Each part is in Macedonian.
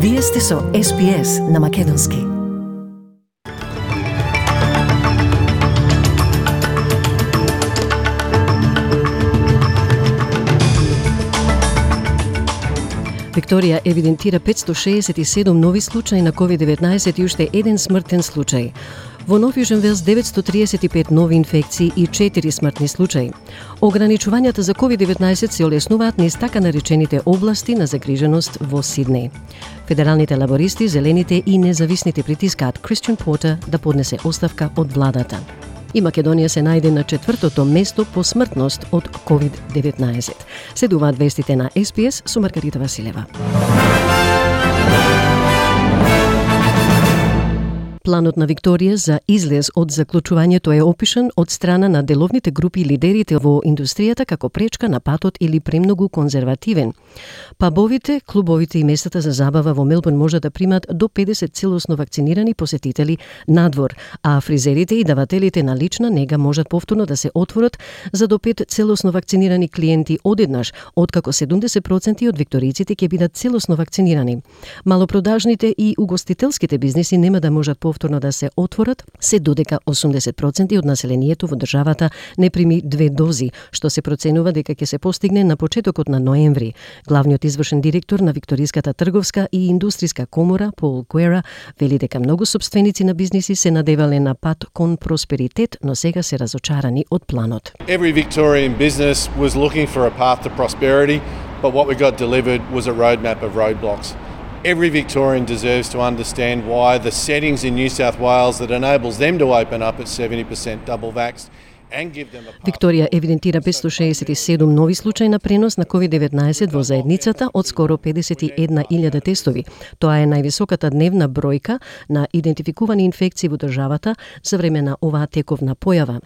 Вие сте со SPS на Македонски. Викторија евидентира 567 нови случаи на COVID-19 и уште еден смртен случај. Во Нов Јужен Велс 935 нови инфекции и 4 смртни случаи. Ограничувањата за COVID-19 се олеснуваат низ така наречените области на загриженост во Сиднеј. Федералните лабористи, зелените и независните притискаат Кристијан Портер да поднесе оставка од владата. И Македонија се најде на 4-то место по смртност од COVID-19. Следуваат вестите на SPS со Маргарита Василева. Планот на Викторија за излез од заклучувањето е опишан од страна на деловните групи и лидерите во индустријата како пречка на патот или премногу конзервативен. Пабовите, клубовите и местата за забава во Мелбурн може да примат до 50 целосно вакцинирани посетители надвор, а фризерите и давателите на лична нега можат повторно да се отворат за до 5 целосно вакцинирани клиенти одеднаш, откако 70% од викторијците ќе бидат целосно вакцинирани. Малопродажните и угостителските бизниси нема да можат повторно да се отворат, се додека 80% од населението во државата не прими 2 дози, што се проценува дека ќе се постигне на почетокот на ноември. Главниот извршен директор на Викториската трговска и индустријска комора, Пол Гуера, вели дека многу сопственици на бизниси се надевале на пат кон просперитет, но сега се разочарани од планот. Every Victorian business was looking for a path to prosperity, but what we got delivered was a roadmap of roadblocks. Every Victorian deserves to understand why the settings in New South Wales that enables them to open up at 70% double vaxxed and give them a path. Викторија евидентира 567 нови случаи на пренос на COVID-19 во заедницата од скоро 51.000 тестови. Тоа е највисоката дневна бројка на идентификувани инфекции во државата за време на оваа тековна појава.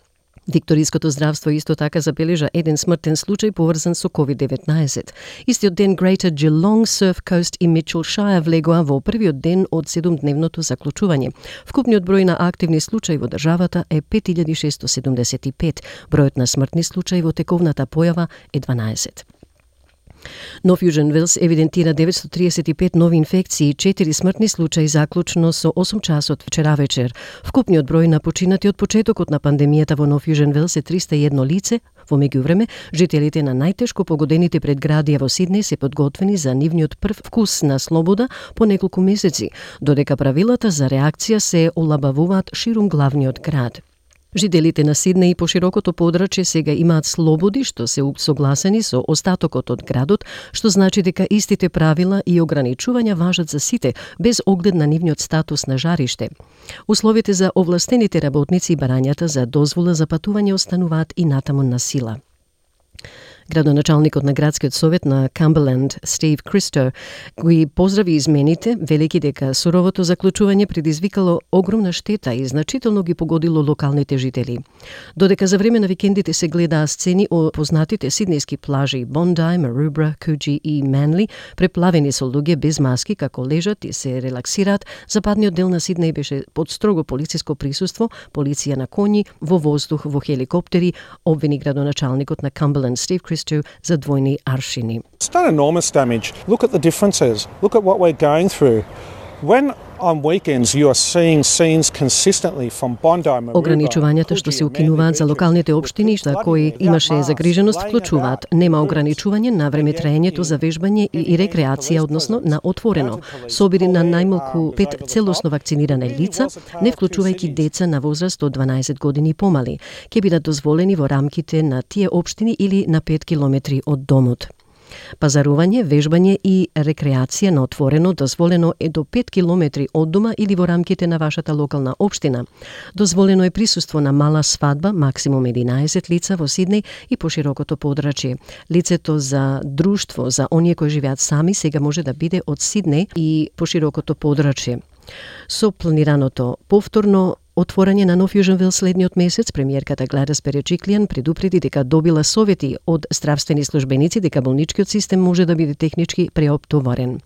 Викториското здравство исто така забележа еден смртен случај поврзан со COVID-19. Истиот ден Greater Geelong, Surf Coast и Mitchell Shire влегоа во првиот ден од 7-дневното заклучување. Вкупниот број на активни случаи во државата е 5675. Бројот на смртни случаи во тековната појава е 12. Нов Јужен Велс евидентира 935 нови инфекции и 4 смртни случаи заклучно со 8 часот вчера вечер. Вкупниот број на починати од почетокот на пандемијата во Нов Јужен Велс е 301 лице. Во меѓувреме, жителите на најтешко погодените предградија во Сиднеј се подготвени за нивниот прв вкус на слобода по неколку месеци, додека правилата за реакција се олабавуваат ширум главниот град. Жителите на Сиднеј и поширокото подрачје сега имаат слободи што се согласени со остатокот од градот, што значи дека истите правила и ограничувања важат за сите, без оглед на нивниот статус на жариште. Условите за овластените работници и барањата за дозвола за патување остануваат и натаму на сила. Градоначалникот на градскиот совет на Камберленд, Стив Кристо, ги поздрави измените, велики дека суровото заклучување предизвикало огромна штета и значително ги погодило локалните жители. Додека за време на викендите се гледаа сцени од познатите сиднејски плажи Bondi, Maroubra, Coogee и Manly, преплавени со луѓе без маски како лежат и се релаксираат, западниот дел на Сиднеј беше под строго полициско присуство, полиција на коњи, во воздух, во хеликоптери, обвини градоначалникот на Камберленд, Стив Кристо, за двојни аршини. It's done enormous damage. Look at the differences. Look at what we're going through. When on weekends you are seeing scenes consistently from Bondi, Maroubra, Ограничувањата што се укинуваат за локалните општини за кои имаше загриженост вклучуваат нема ограничување на време траењето за вежбање и рекреација, односно на отворено. Собири на најмалку 5 целосно вакцинирани лица, не вклучувајќи деца на возраст од 12 години и помали, ќе бидат дозволени во рамките на тие општини или на 5 километри од домот. Пазарување, вежбање и рекреација на отворено дозволено е до 5 километри од дома или во рамките на вашата локална општина. Дозволено е присуство на мала свадба, максимум 11 лица во Сиднеј и поширокото подрачје. Лицето за друштво за оние кои живеат сами сега може да биде од Сиднеј и поширокото подрачје. Со планираното повторно отворање на Нов Јужен Велс следниот месец, премиерката Гладис Береджиклијан предупреди дека добила совети од здравствени службеници дека болничкиот систем може да биде технички преоптоварен.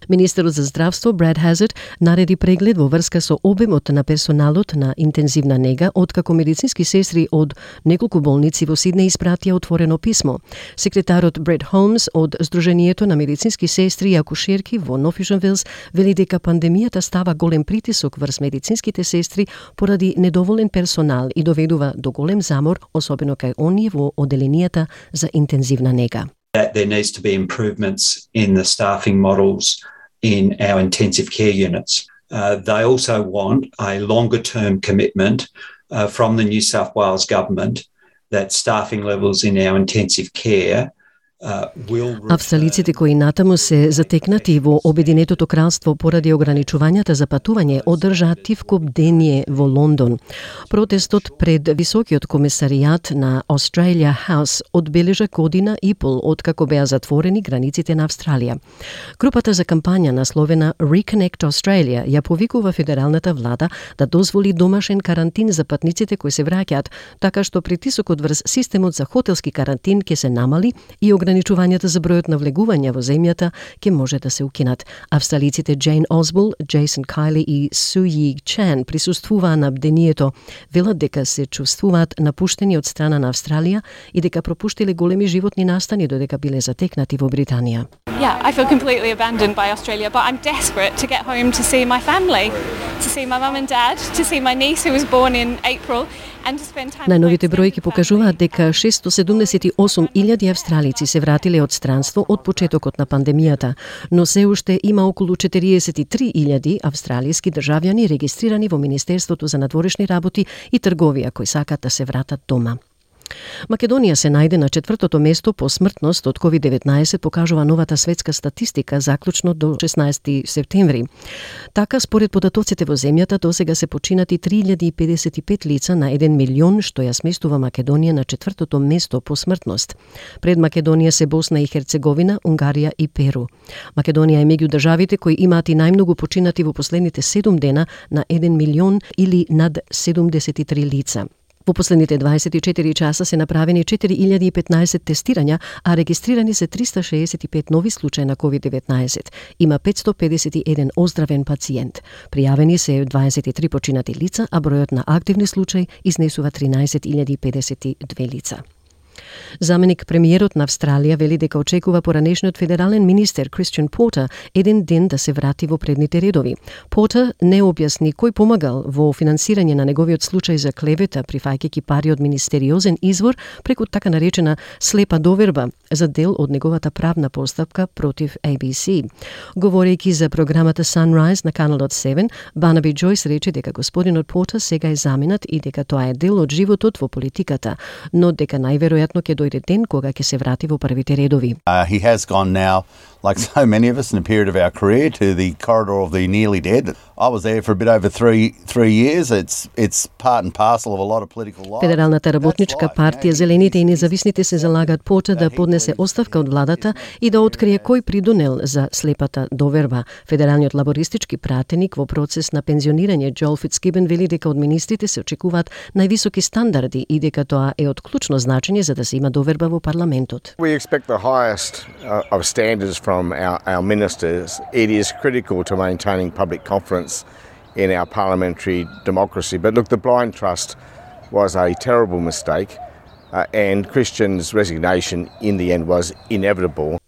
Министерот за здравство Брад Хазард нареди преглед во врска со обемот на персоналот на интензивна нега, откако медицински сестри од неколку болници во Сиднеј испратија отворено писмо. Секретарот Бред Холмс од Сдруженијето на медицински сестри и акушерки во Нофишен Вилс вели дека пандемијата става голем притисок врз медицинските сестри поради недоволен персонал и доведува до голем замор, особено кај оние во оделенијата за интензивна нега. That there needs to be improvements in the staffing models in our intensive care units. They also want a longer-term commitment from the New South Wales government that staffing levels in our intensive care Австралиците кои натаму се затекнати во Обединетото кралство поради ограничувањата за патување одржаа тивко бдение во Лондон. Протестот пред Високиот комесаријат на Australia House одбележа година и пол откако беа затворени границите на Австралија. Групата за кампања насловена Reconnect Australia ја повикува федералната влада да дозволи домашен карантин за патниците кои се враќаат, така што притисокот врз системот за хотелски карантин ќе се намали и ограничувањата за бројот на влегувања во земјата ќе може да се укинат. Австралиците Джейн Осбол, Джейсон Кайли и Су Yi Chan присуствуваа на бдението. Велат дека се чувствуваат напуштени од страна на Австралија и дека пропуштиле големи животни настани додека биле затекнати во Британија. Yeah, I feel completely abandoned by Australia, but I'm desperate to get home to see my family, to see my mum and dad, to see my niece who was born in April. Најновите бројки покажуваат дека 678.000 австралици се вратиле од странство од почетокот на пандемијата, но се уште има околу 43.000 австралиски државјани регистрирани во Министерството за надворешни работи и трговија кои сакат да се вратат дома. Македонија се најде на 4-то место по смртност од COVID-19, покажува новата светска статистика заклучно до 16 септември. Така, според податоците во земјата, досега се починати 3055 лица на 1 милион, што ја сместува Македонија на 4-то место по смртност. Пред Македонија се Босна и Херцеговина, Унгарија и Перу. Македонија е меѓу државите кои имаат и најмногу починати во последните 7 дена на 1 милион или над 73 лица. Во последните 24 часа се направени 4015 тестирања, а регистрирани се 365 нови случаи на COVID-19. Има 551 оздравен пациент. Пријавени се 23 починати лица, а бројот на активни случаи изнесува 13.052 лица. Заменик премиерот на Австралија вели дека очекува поранешниот федерален министер Кристиан Портер еден ден да се врати во предните редови. Портер не објасни кој помагал во финансирање на неговиот случај за клевета, прифаќајќи пари од министериозен извор преку така наречена слепа доверба за дел од неговата правна постапка против ABC. Говорејќи за програмата Sunrise на каналот 7, Барнаби Джойс рече дека господинот Портер сега е заменат и дека тоа е дел од животот во политиката, но дека најверојатно ќе дојде ден кога ќе се врати во првите редови. He has gone now, like so many of us in a period of our career, to the corridor of the nearly dead. I was there for a bit over three years. It's part and parcel of a lot of political life. Федералната работничка партија, Зелените и независните се залагаат Портер да поднесе оставка од владата и да открие кој придонел за слепата доверба. Федералниот лабористички пратеник во процес на пензионирање Джоел Фицгибен вели дека од министрите се очекуваат највисоки стандарди и дека тоа е од клучно значење за да се има доверба во парламентот. We expect the highest of standards from our ministers. It is critical to maintaining public confidence in our parliamentary democracy. But look, the blind trust was a terrible mistake, and Christian's resignation in the end was inevitable.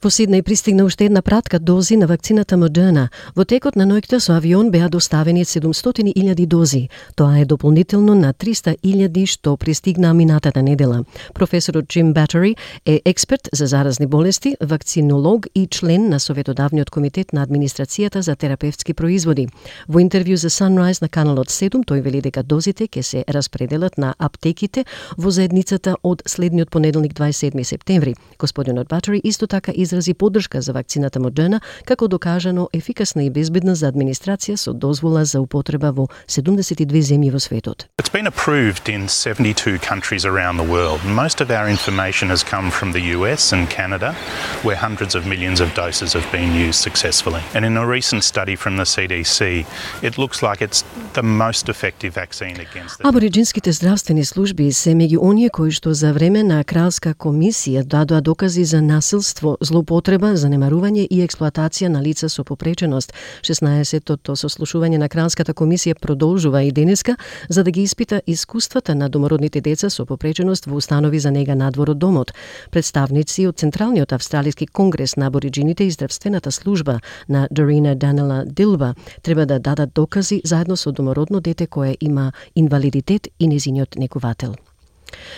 Во Сиднеј пристигна уште една пратка дози на вакцината Модерна. Во текот на ноќта со авион беа доставени 700.000 дози. Тоа е дополнително на 300.000 што пристигнаа минатата недела. Професорот Джим Батери е експерт за заразни болести, вакцинолог и член на Советодавниот комитет на администрацијата за терапевтски производи. Во интервју за Sunrise на каналот 7 тој вели дека дозите ќе се распределат на аптеките во заедницата од следниот понеделник 27 септември. Господинот Батери исто така изрази поддршка за вакцината Модерна како докажано ефикасна и безбедна за администрација со дозвола за употреба во 72 земји во светот. It's been approved in 72 countries around the world. Most of our information has come from the US and Canada, where hundreds of millions of doses have been used successfully. And in a recent study from the CDC, it looks like it's the most effective vaccine against the... Абориџинските здравствени служби се меѓу оние кои што за време на кралска комисија дадоа докази за насилство, злоупотреба злоупотреба, занемарување и експлоатација на лица со попреченост. 16-тото сослушување на Кралската комисија продолжува и денеска за да ги испита искуствата на домородните деца со попреченост во установи за нега надвор од домот. Представници од Централниот австралиски конгрес на абориджините и здравствената служба на Dorina Danella Dilba треба да дадат докази заедно со домородно дете кое има инвалидитет и незиниот негувател.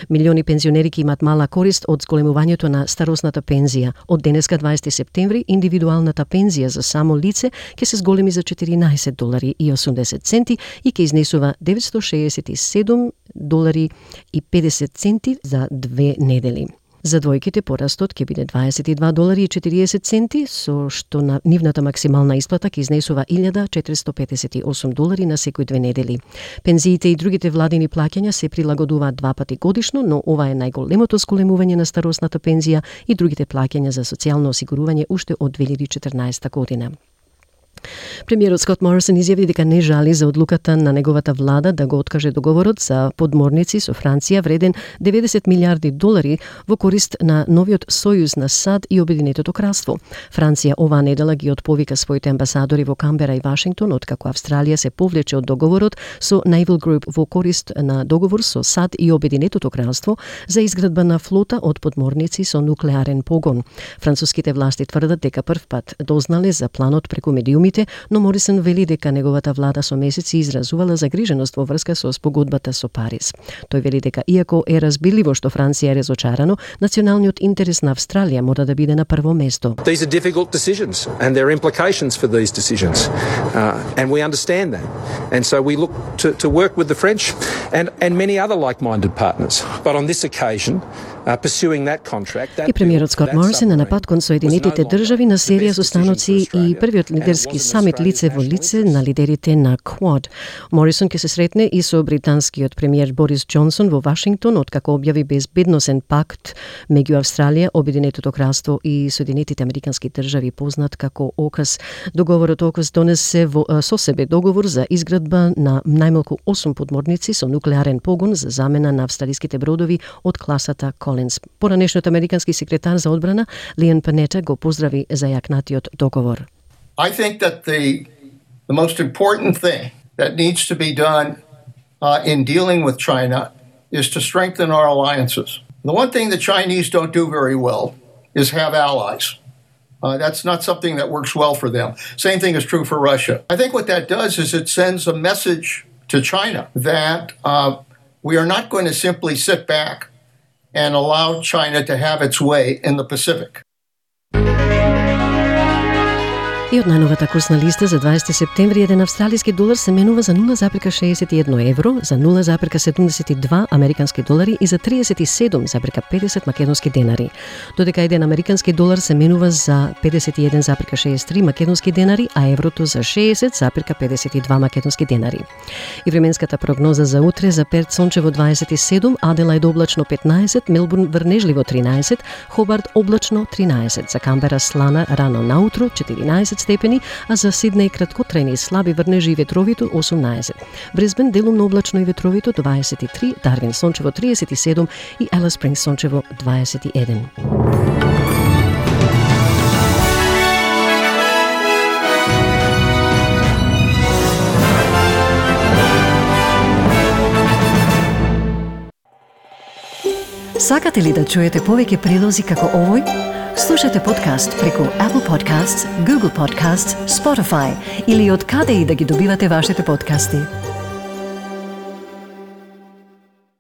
Милиони пензионери ки имат мала корист од зголемувањето на старосната пензија. Од денеска 20 септември индивидуалната пензија за само лице ќе се зголеми за $14.80 и ќе изнесува $967.50 за 2 недели. За двојките порастот ќе биде $22.40, со што на нивната максимална исплата ќе изнесува $1.458 на секој 2 недели. Пензиите и другите владини плаќања се прилагодуваат 2 пати годишно, но ова е најголемото зголемување на старосната пензија и другите плаќања за социјално осигурување уште од 2014 година. Премиерот Скот Морисон изјави дека не жали за одлуката на неговата влада да го откаже договорот за подморници со Франција вреден $90 милиарди во корист на новиот сојуз на САД и Обединетото кралство. Франција оваа недела ги отповика своите амбасадори во Камбера и Вашингтон откако Австралија се повлече од договорот со Naval Group во корист на договор со САД и Обединетото кралство за изградба на флота од подморници со нуклеарен погон. Француските власти тврдат дека првпат дознале за планот преку медиумите, но Морисон вели дека неговата влада со месеци изразувала загриженост во врска со спогодбата со Париз. Тој вели дека иако е разбирливо што Франција е разочарано, националниот интерес на Австралија мора да биде на прво место. These are difficult decisions and there are implications for these decisions. And we understand that. And so we look to work with the French and many other like-minded partners. But on this occasion, pursuing that contract, и премиерот Скот Морисон на напад кон Соединетите држави на серија состаноци и првиот лидерски самит лице во лице на лидерите на Quad. Морисон ќе се сретне и со британскиот премиер Борис Џонсон во Вашингтон откако објави безбедносен пакт меѓу Австралија, Обединетото кралство и Соединетите американски држави, познат како ОКАС. Договорот ОКАС донесе со себе договор за изградба на најмалку 8 подморници со нуклеарен погон за замена на австралиските бродови од класата Колинс. Поранешниот американски секретар за одбрана Лиан Панета го поздрави за јакнатиот договор. I think that the most important thing that needs to be done in dealing with China is to strengthen our alliances. The one thing the Chinese don't do very well is have allies. That's not something that works well for them. Same thing is true for Russia. I think what that does is it sends a message to China that we are not going to simply sit back and allow China to have its way in the Pacific. И од најновата курсна листа за 20 септември еден австралиски долар се менува за 0,61 евро, за 0,72 американски долари и за 37,50 македонски денари. Додека еден американски долар се менува за 51,63 македонски денари, а еврото за 60,52 македонски денари. И временската прогноза за утре: за Перт сончево 27, Аделаид облачно 15, Мелбурн врнежливо 13, Хобарт облачно 13, за Камбера слана рано наутро 14 степени, а за Сиднеј краткотрајни слаби врнежи и ветровито 18. Брисбен делумно облачно и ветровито 23, Дарвин сончево 37 и Елис Спрингс сончево 21. Сакате ли да чуете повеќе прилози како овој? Слушате подкаст преку Apple Podcasts, Google Podcasts, Spotify или од каде и да ги добивате вашите подкасти.